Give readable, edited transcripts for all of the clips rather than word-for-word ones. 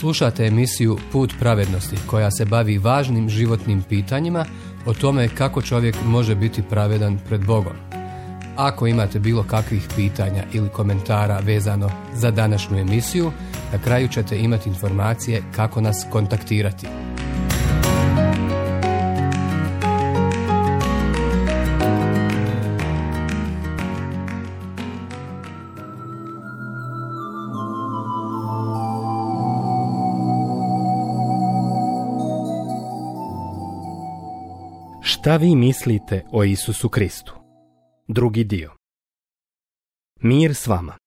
Slušate emisiju Put pravednosti koja se bavi važnim životnim pitanjima o tome kako čovjek može biti pravedan pred Bogom. Ako imate bilo kakvih pitanja ili komentara vezano za današnju emisiju, na kraju ćete imati informacije kako nas kontaktirati. Šta vi mislite o Isusu Kristu? Drugi dio. Mir s vama.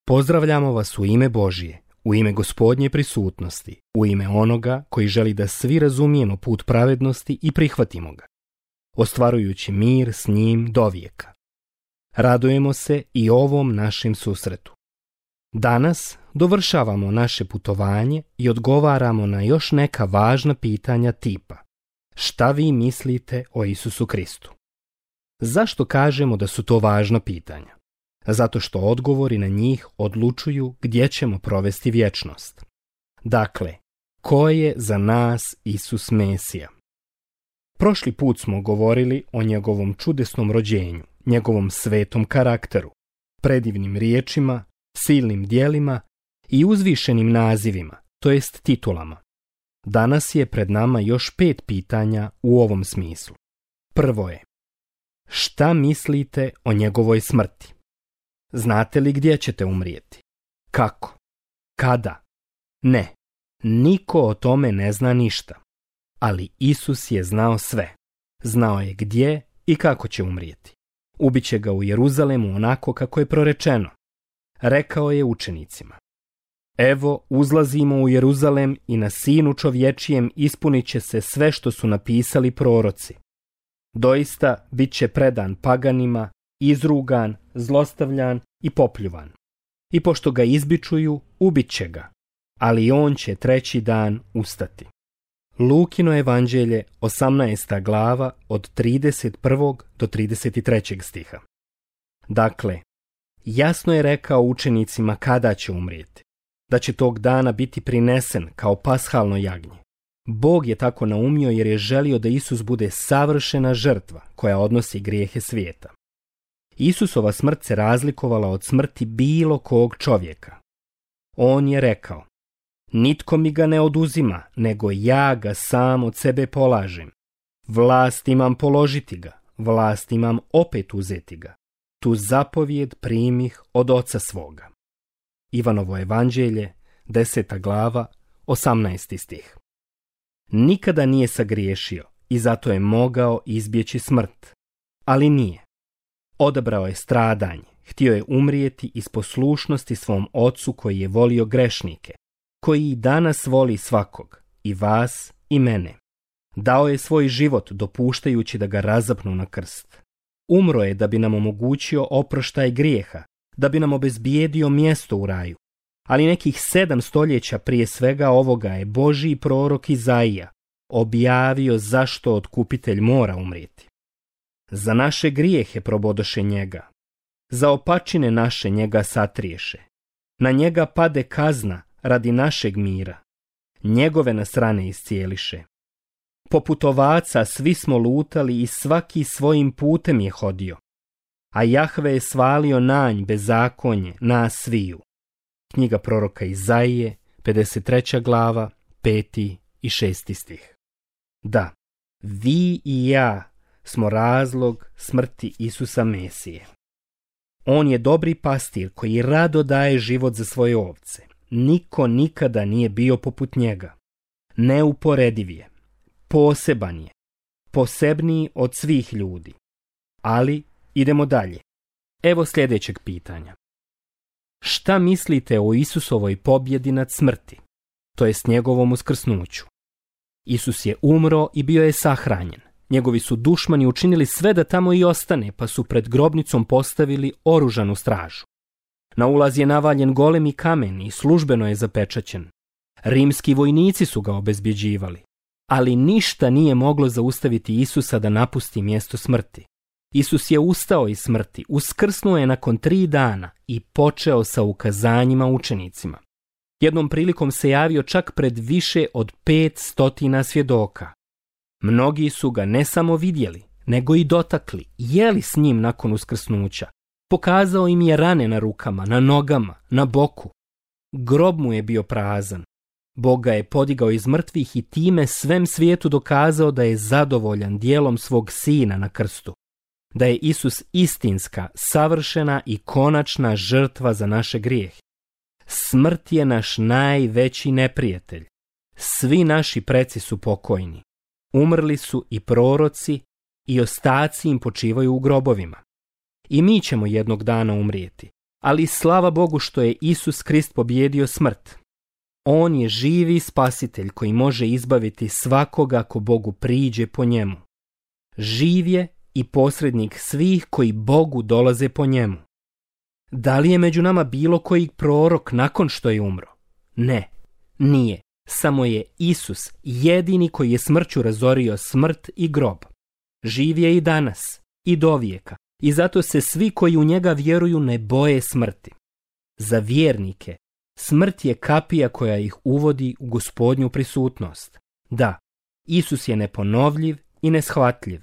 Pozdravljamo vas u ime Božje, u ime Gospodnje prisutnosti, u ime onoga koji želi da svi razumijemo put pravednosti i prihvatimo ga, ostvarujući mir s njim dovijeka. Radujemo se i ovom našem susretu. Danas dovršavamo naše putovanje i odgovaramo na još neka važna pitanja tipa: šta vi mislite o Isusu Kristu? Zašto kažemo da su to važna pitanja? Zato što odgovori na njih odlučuju gdje ćemo provesti vječnost. Dakle, ko je za nas Isus Mesija? Prošli put smo govorili o njegovom čudesnom rođenju, njegovom svetom karakteru, predivnim riječima, silnim djelima i uzvišenim nazivima, to jest titulama. Danas je pred nama još 5 pitanja u ovom smislu. Prvo je: šta mislite o njegovoj smrti? Znate li gdje ćete umrijeti? Kako? Kada? Ne, niko o tome ne zna ništa. Ali Isus je znao sve. Znao je gdje i kako će umrijeti. Ubiće ga u Jeruzalemu onako kako je prorečeno. Rekao je učenicima: evo, uzlazimo u Jeruzalem i na Sinu čovječijem ispunit će se sve što su napisali proroci. Doista bit će predan paganima, izrugan, zlostavljan i popljuvan. I pošto ga izbičuju, ubit će ga, ali on će 3. dan ustati. Lukino evanđelje, 18. glava, od 31. do 33. stiha. Dakle, jasno je rekao učenicima kada će umrijeti, da će tog dana biti prinesen kao pashalno jagnje. Bog je tako naumio jer je želio da Isus bude savršena žrtva koja odnosi grijehe svijeta. Isusova smrt se razlikovala od smrti bilo kog čovjeka. On je rekao: nitko mi ga ne oduzima, nego ja ga sam od sebe polažem. Vlast imam položiti ga, vlast imam opet uzeti ga. Tu zapovijed primih od oca svoga. Ivanovo evanđelje, 10. glava, 18. stih. Nikada nije sagriješio i zato je mogao izbjeći smrt. Ali nije. Odabrao je stradanje, htio je umrijeti iz poslušnosti svom ocu koji je volio grešnike, koji i danas voli svakog, i vas i mene. Dao je svoj život dopuštajući da ga razapnu na krst. Umro je da bi nam omogućio oproštaj grijeha, da bi nam obezbijedio mjesto u raju. Ali nekih 7 stoljeća prije svega ovoga je Božji prorok Izaija objavio zašto otkupitelj mora umrijeti. Za naše grijehe probodoše njega, za opačine naše njega satriješe. Na njega pade kazna radi našeg mira, njegove nas rane iscijeliše. Poput ovaca svi smo lutali i svaki svojim putem je hodio, a Jahve je svalio na nj bezakonje nas sviju. Knjiga proroka Izaije, 53. glava, 5. i 6. stih. Da, vi i ja smo razlog smrti Isusa Mesije. On je dobri pastir koji rado daje život za svoje ovce. Niko nikada nije bio poput njega. Neuporediv je, poseban je, posebniji od svih ljudi. Ali idemo dalje. Evo sljedećeg pitanja. Šta mislite o Isusovoj pobjedi nad smrti, to jest njegovom uskrsnuću? Isus je umro i bio je sahranjen. Njegovi su dušmani učinili sve da tamo i ostane, pa su pred grobnicom postavili oružanu stražu. Na ulaz je navaljen golemi kamen i službeno je zapečaćen. Rimski vojnici su ga obezbjeđivali, ali ništa nije moglo zaustaviti Isusa da napusti mjesto smrti. Isus je ustao iz smrti, uskrsnuo je nakon 3 dana i počeo sa ukazanjima učenicima. Jednom prilikom se javio čak pred više od 500 svjedoka. Mnogi su ga ne samo vidjeli, nego i dotakli, jeli s njim nakon uskrsnuća. Pokazao im je rane na rukama, na nogama, na boku. Grob mu je bio prazan. Bog ga je podigao iz mrtvih i time svem svijetu dokazao da je zadovoljan djelom svog sina na krstu. Da je Isus istinska, savršena i konačna žrtva za naše grijehe. Smrt je naš najveći neprijatelj. Svi naši preci su pokojni. Umrli su i proroci i ostaci im počivaju u grobovima. I mi ćemo jednog dana umrijeti, ali slava Bogu što je Isus Krist pobjedio smrt. On je živi spasitelj koji može izbaviti svakoga ko Bogu priđe po njemu. Živ je i posrednik svih koji Bogu dolaze po njemu. Da li je među nama bilo koji prorok nakon što je umro? Ne, nije. Samo je Isus jedini koji je smrću razorio smrt i grob. Živ je i danas, i dovijeka, i zato se svi koji u njega vjeruju ne boje smrti. Za vjernike, smrt je kapija koja ih uvodi u Gospodnju prisutnost. Da, Isus je neponovljiv i neshvatljiv.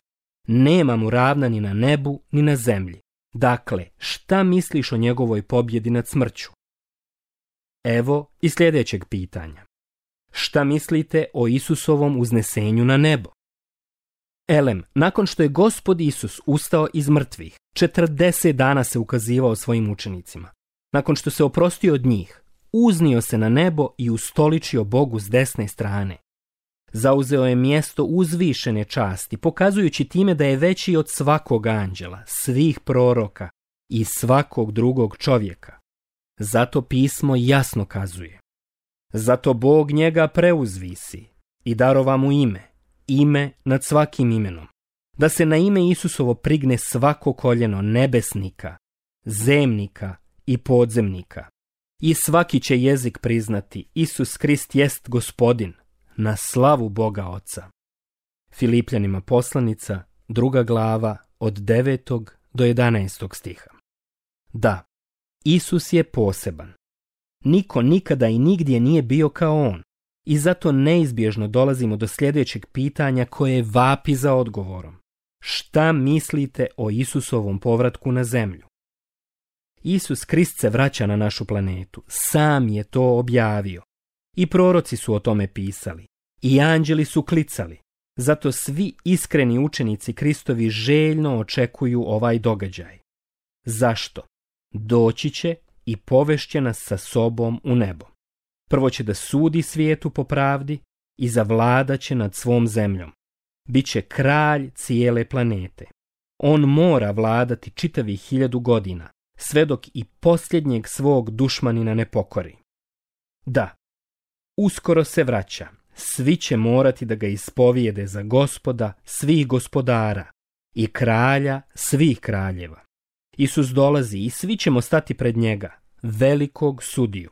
Nema mu ravna ni na nebu, ni na zemlji. Dakle, šta misliš o njegovoj pobjedi nad smrću? Evo i sljedećeg pitanja. Šta mislite o Isusovom uznesenju na nebo? Elem, nakon što je Gospod Isus ustao iz mrtvih, 40 dana se ukazivao svojim učenicima. Nakon što se oprostio od njih, uznio se na nebo i ustoličio Bogu s desne strane. Zauzeo je mjesto uzvišene časti, pokazujući time da je veći od svakog anđela, svih proroka i svakog drugog čovjeka. Zato pismo jasno kazuje. Zato Bog njega preuzvisi i darova mu ime nad svakim imenom, da se na ime Isusovo prigne svako koljeno nebesnika, zemnika i podzemnika. I svaki će jezik priznati Isus Krist jest Gospodin, na slavu Boga Oca. Filipljanima poslanica, 2. glava, od 9. do 11. stiha. Da, Isus je poseban. Niko nikada i nigdje nije bio kao on. I zato neizbježno dolazimo do sljedećeg pitanja koje vapi za odgovorom. Šta mislite o Isusovom povratku na zemlju? Isus Krist se vraća na našu planetu. Sam je to objavio. I proroci su o tome pisali. I anđeli su klicali. Zato svi iskreni učenici Kristovi željno očekuju ovaj događaj. Zašto? Doći će i povešće nas sa sobom u nebo. Prvo će da sudi svijetu po pravdi i zavladat će nad svom zemljom. Biće kralj cijele planete. On mora vladati čitavih 1000 godina, sve dok i posljednjeg svog dušmanina ne pokori. Da, uskoro se vraća. Svi će morati da ga ispovijede za Gospoda svih gospodara i kralja svih kraljeva. Isus dolazi i svi ćemo stati pred njega, velikog sudiju.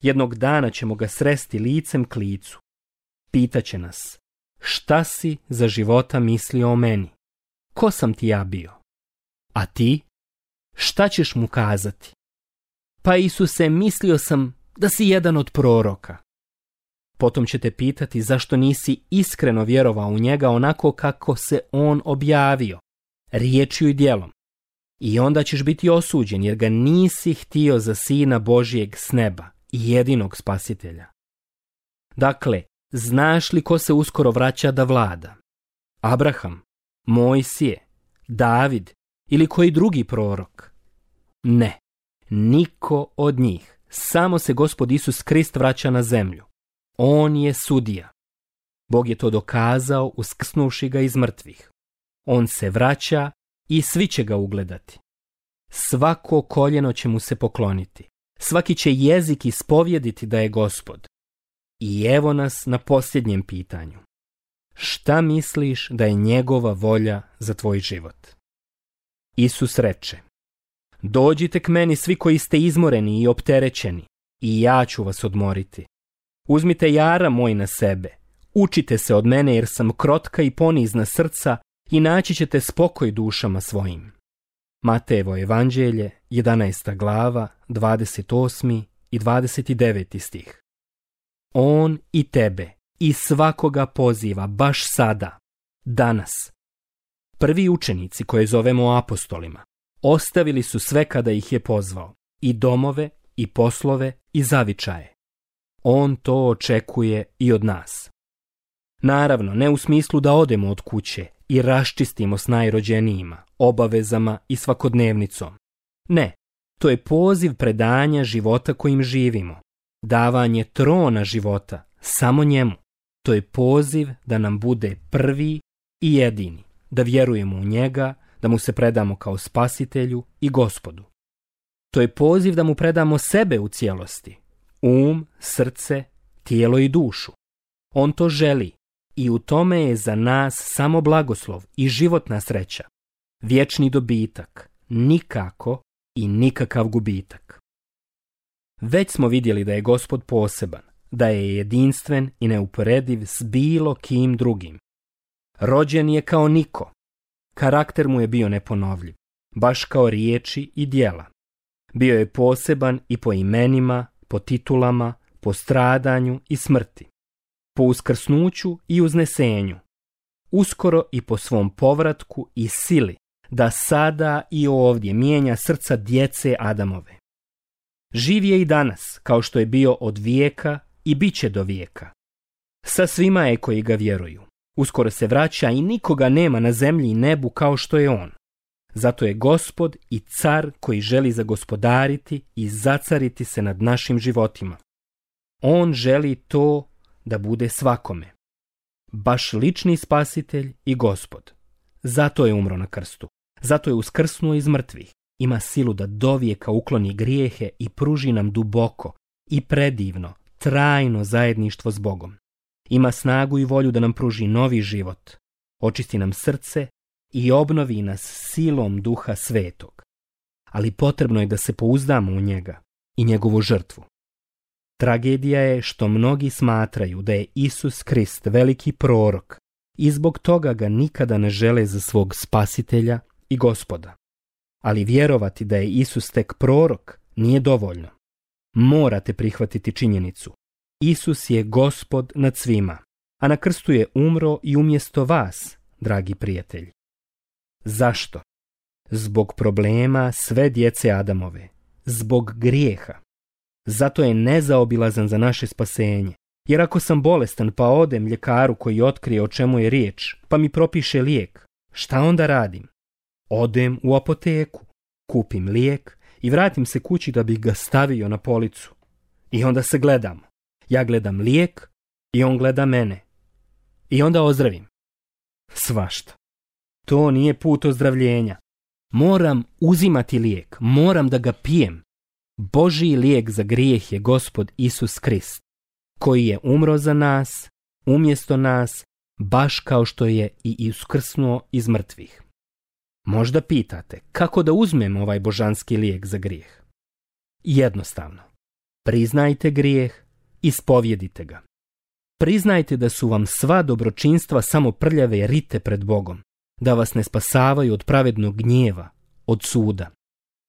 Jednog dana ćemo ga sresti licem k licu. Pitaće nas, šta si za života mislio o meni? Ko sam ti ja bio? A ti? Šta ćeš mu kazati? Pa Isuse, mislio sam da si jedan od proroka. Potom ćete pitati zašto nisi iskreno vjerovao u njega onako kako se on objavio, riječju i djelom. I onda ćeš biti osuđen jer ga nisi htio za Sina Božijeg s neba i jedinog spasitelja. Dakle, znaš li ko se uskoro vraća da vlada? Abraham, Mojsije, David ili koji drugi prorok? Ne, niko od njih. Samo se Gospod Isus Krist vraća na zemlju. On je sudija. Bog je to dokazao uskrsnuvši ga iz mrtvih. On se vraća i svi će ga ugledati. Svako koljeno će mu se pokloniti. Svaki će jezik ispovjediti da je Gospod. I evo nas na posljednjem pitanju. Šta misliš da je njegova volja za tvoj život? Isus reče, dođite k meni svi koji ste izmoreni i opterećeni, i ja ću vas odmoriti. Uzmite jara moj na sebe, učite se od mene jer sam krotka i ponizna srca i naći ćete spokoj dušama svojim. Matejevo evanđelje, 11. glava, 28. i 29. stih. On i tebe i svakoga poziva baš sada, danas. Prvi učenici koje zovemo apostolima ostavili su sve kada ih je pozvao, i domove, i poslove, i zavičaje. On to očekuje i od nas. Naravno, ne u smislu da odemo od kuće i raščistimo s najrođenijima, obavezama i svakodnevnicom. Ne, to je poziv predanja života kojim živimo, davanje trona života samo njemu. To je poziv da nam bude prvi i jedini, da vjerujemo u njega, da mu se predamo kao spasitelju i Gospodu. To je poziv da mu predamo sebe u cijelosti, srce, tijelo i dušu. On to želi i u tome je za nas samo blagoslov i životna sreća, vječni dobitak, nikako i nikakav gubitak. Već smo vidjeli da je Gospod poseban, da je jedinstven i neuporediv s bilo kim drugim. Rođen je kao niko. Karakter mu je bio neponovljiv, baš kao riječi i djela. Bio je poseban i po imenima, po titulama, po stradanju i smrti, po uskrsnuću i uznesenju, uskoro i po svom povratku i sili, da sada i ovdje mijenja srca djece Adamove. Živ je i danas, kao što je bio od vijeka i bit će do vijeka. Sa svima je koji ga vjeruju. Uskoro se vraća i nikoga nema na zemlji i nebu kao što je on. Zato je Gospod i car koji želi zagospodariti i zacariti se nad našim životima. On želi to da bude svakome. Baš lični spasitelj i Gospod. Zato je umro na krstu. Zato je uskrsnuo iz mrtvih. Ima silu da dovijeka ukloni grijehe i pruži nam duboko i predivno, trajno zajedništvo s Bogom. Ima snagu i volju da nam pruži novi život, očisti nam srce i obnovi nas silom Duha Svetog. Ali potrebno je da se pouzdamo u njega i njegovu žrtvu. Tragedija je što mnogi smatraju da je Isus Krist veliki prorok i zbog toga ga nikada ne žele za svog spasitelja i Gospoda. Ali vjerovati da je Isus tek prorok nije dovoljno. Morate prihvatiti činjenicu. Isus je Gospod nad svima, a na krstu je umro i umjesto vas, dragi prijatelji. Zašto? Zbog problema sve djece Adamove, zbog grijeha. Zato je nezaobilazan za naše spasenje. Jer ako sam bolestan pa odem ljekaru koji otkrije o čemu je riječ, pa mi propiše lijek, šta onda radim? Odem u apoteku, kupim lijek i vratim se kući da bih ga stavio na policu. I onda se gledamo. Ja gledam lijek i on gleda mene. I onda ozdravim. Svašta. To nije put ozdravljenja. Moram uzimati lijek, moram da ga pijem. Božji lijek za grijeh je Gospod Isus Krist, koji je umro za nas, umjesto nas, baš kao što je i uskrsnuo iz mrtvih. Možda pitate, kako da uzmem ovaj božanski lijek za grijeh? Jednostavno. Priznajte grijeh, ispovjedite ga. Priznajte da su vam sva dobročinstva samo prljave rite pred Bogom, da vas ne spasavaju od pravednog gnjeva, od suda.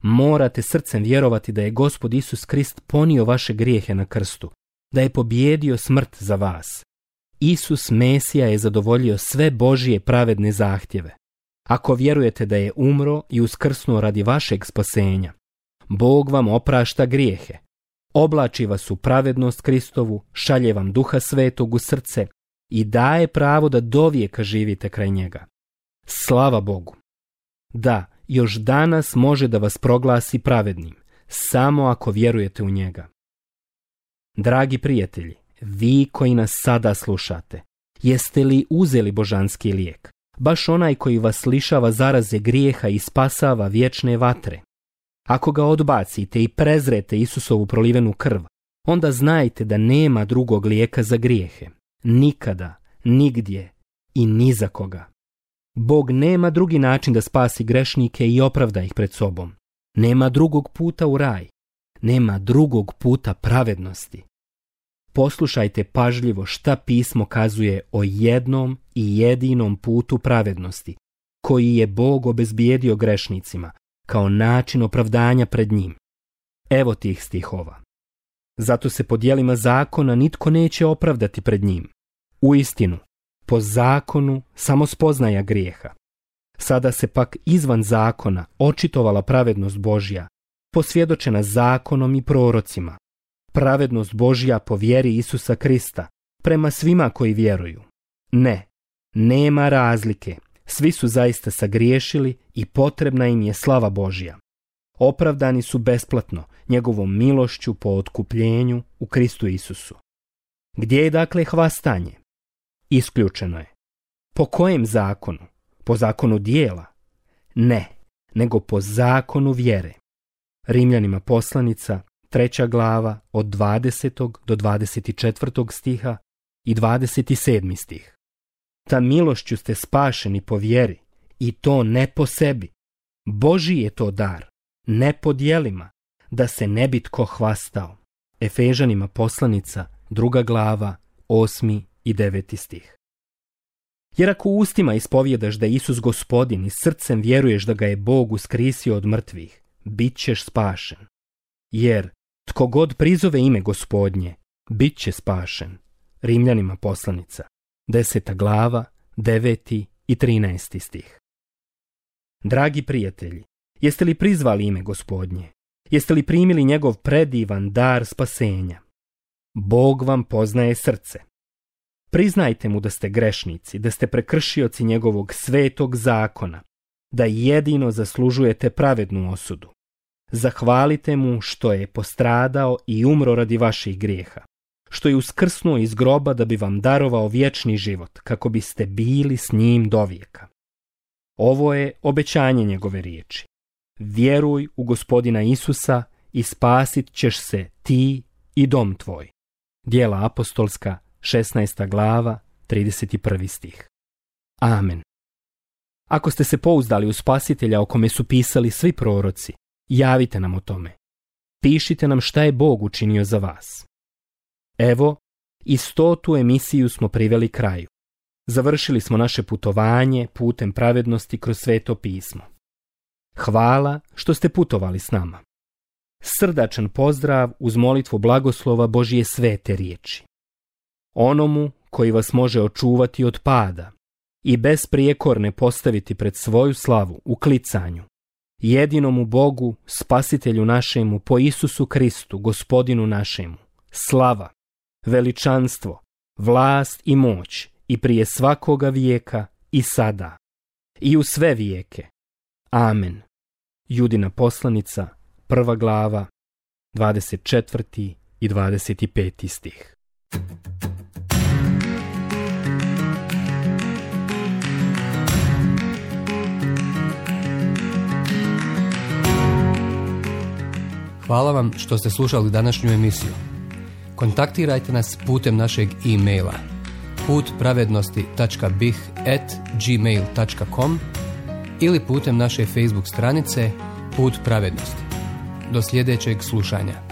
Morate srcem vjerovati da je Gospod Isus Krist ponio vaše grijehe na krstu, da je pobijedio smrt za vas. Isus Mesija je zadovoljio sve Božje pravedne zahtjeve. Ako vjerujete da je umro i uskrsnuo radi vašeg spasenja, Bog vam oprašta grijehe, oblači vas u pravednost Kristovu, šalje vam Duha Svetog u srce i daje pravo da dovijeka živite kraj njega. Slava Bogu! Da, još danas može da vas proglasi pravednim, samo ako vjerujete u njega. Dragi prijatelji, vi koji nas sada slušate, jeste li uzeli božanski lijek, baš onaj koji vas lišava zaraze grijeha i spasava vječne vatre? Ako ga odbacite i prezrete Isusovu prolivenu krv, onda znajte da nema drugog lijeka za grijehe. Nikada, nigdje i ni za koga. Bog nema drugi način da spasi grešnike i opravda ih pred sobom. Nema drugog puta u raj. Nema drugog puta pravednosti. Poslušajte pažljivo šta pismo kazuje o jednom i jedinom putu pravednosti, koji je Bog obezbijedio grešnicima, kao način opravdanja pred njim. Evo tih stihova. Zato se po djelima zakona nitko neće opravdati pred njim. Uistinu, po zakonu samo spoznaja grijeha. Sada se pak izvan zakona očitovala pravednost Božja, posvjedočena zakonom i prorocima. Pravednost Božja po vjeri Isusa Krista, prema svima koji vjeruju. Ne, nema razlike, svi su zaista sagriješili i potrebna im je slava Božja. Opravdani su besplatno, njegovom milošću po otkupljenju u Kristu Isusu. Gdje je dakle hvastanje? Isključeno je. Po kojem zakonu? Po zakonu dijela? Ne, nego po zakonu vjere. Rimljanima poslanica, 3. glava, od 20. do 24. stiha i 27. stih. Ta milošću ste spašeni po vjeri, i to ne po sebi. Božji je to dar, ne po djelima, da se ne bi tko hvastao. Efežanima poslanica, 2. glava, 8. i 9. stih. Jer ako ustima ispovjedaš da je Isus Gospodin i srcem vjeruješ da ga je Bog uskrisio od mrtvih, bit ćeš spašen. Jer tko god prizove ime Gospodnje, bit će spašen. Rimljanima poslanica, 10. glava, 9. i 13. stih. Dragi prijatelji, jeste li prizvali ime Gospodnje? Jeste li primili njegov predivan dar spasenja? Bog vam poznaje srce. Priznajte mu da ste grešnici, da ste prekršioci njegovog svetog zakona, da jedino zaslužujete pravednu osudu. Zahvalite mu što je postradao i umro radi vaših grijeha, što je uskrsnuo iz groba da bi vam darovao vječni život, kako biste bili s njim dovijeka. Ovo je obećanje njegove riječi. Vjeruj u Gospodina Isusa i spasit ćeš se ti i dom tvoj. Djela apostolska, 16. glava, 31. stih. Amen. Ako ste se pouzdali u Spasitelja o kome su pisali svi proroci, javite nam o tome. Pišite nam šta je Bog učinio za vas. Evo, i 100. emisiju smo priveli kraju. Završili smo naše putovanje putem pravednosti kroz Sveto pismo. Hvala što ste putovali s nama. Srdačan pozdrav uz molitvu blagoslova Božje svete riječi. Onomu koji vas može očuvati od pada i besprijekorne postaviti pred svoju slavu u klicanju, jedinomu Bogu, Spasitelju našemu, po Isusu Kristu, Gospodinu našemu, slava, veličanstvo, vlast i moć i prije svakoga vijeka i sada i u sve vijeke. Amen. Judina poslanica, 1. glava, 24. i 25. stih. Hvala vam što ste slušali današnju emisiju. Kontaktirajte nas putem našeg e-maila putpravednosti.bih@gmail.com ili putem naše Facebook stranice Put pravednosti. Do sljedećeg slušanja.